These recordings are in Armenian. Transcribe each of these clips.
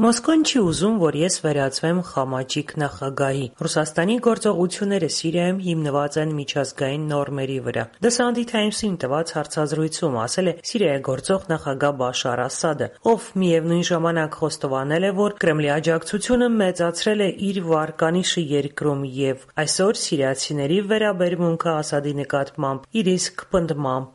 Մոսկվան չի ուզում, որ ես վերածվեմ խամաճիկ նախագահի։ Ռուսաստանի գործողությունները Սիրիայում հիմնված են միջազգային նորմերի վրա։ The Sunday Times-ին տված հարցազրույցում ասել է Սիրիայի գործող նախագահ Բաշար Ասադը, ով միևնույն ժամանակ խոստովանել է, որ Կրեմլի աջակցությունը մեծացրել է իր վարկանիշը երկրում եւ այսօր սիրիացիների վերաբերմունքը Ասադի նկատմամբ իր իսկ պնդմամբ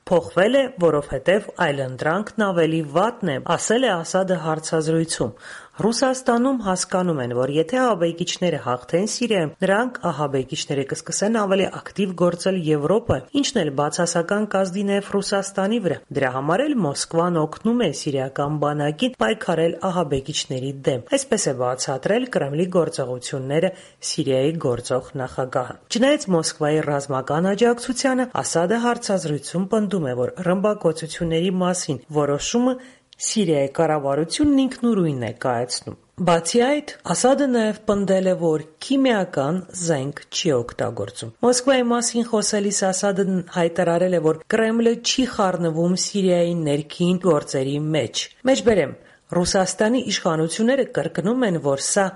փոխվել է, որովհետև այլընտրանքն ավելի վատն է, ասել է Ասադը հարցազրույցում։ Ռուսաստանում հասկանում են, որ եթե ահաբեկիչները հաղթեն Սիրիայում, նրանք ահաբեկիչները կսկսեն ավելի ակտիվ գործել Եվրոպայում, ինչն էլ բացասական կազդի նաև Ռուսաստանի վրա։ Դրա համար էլ Մոսկվան օգնում է սիրիական բանակին պայքարել ահաբեկիչների դեմ։ Այսպես է բացատրել Կրեմլի գործողությունները Սիրիայի գործող նախագահը։ Չնայած Մոսկվայի ռազմական աջակցությանը, Ասադը հարցազրույցում պնդում է, որ ռմբակոծությունների մասին որոշումը Սիրիայի կառավարությունն ինքնուրույն է կայացնում։ Բացի այդ, Ասադը նաև պնդել է, որ քիմիական զենք չի օգտագործում։ Մոսկվայի մասին խոսելիս Ասադն հայտարարել է, որ Կրեմլը չի խառնվում Սիրիայի ներքին գործերի մեջ։ Մեջբերեմ, Ռուսաստանի իշխանությունները կրկնում են, որ սա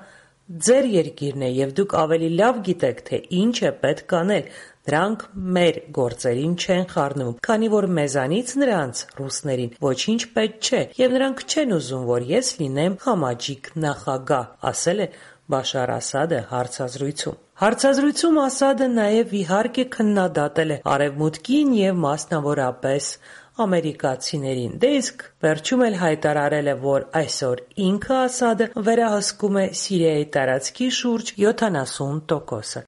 ձեր երկիրն է եւ դուք ավելի լավ գիտեք, թե ինչ է պետք անել։ Նրանք մեր գործերին չեն խառնվում, քանի որ մեզանից նրանց ռուսներին ոչինչ պետք չէ եւ նրանք չեն ուզում, որ ես լինեմ խամաճիկ նախագահ, ասել է Բաշար Ասադը հարցազրույցում։ Հարցազրույցում Ասադը նաև իհարկե քննադատել է Արևմուտքին եւ մասնավորապես ամերիկացիներին։ Դե իսկ վերջում էլ հայտարարել է, որ այսօր ինքը Ասադը վերահսկում է Սիրիայի տարածքի շուրջ 70%-ը։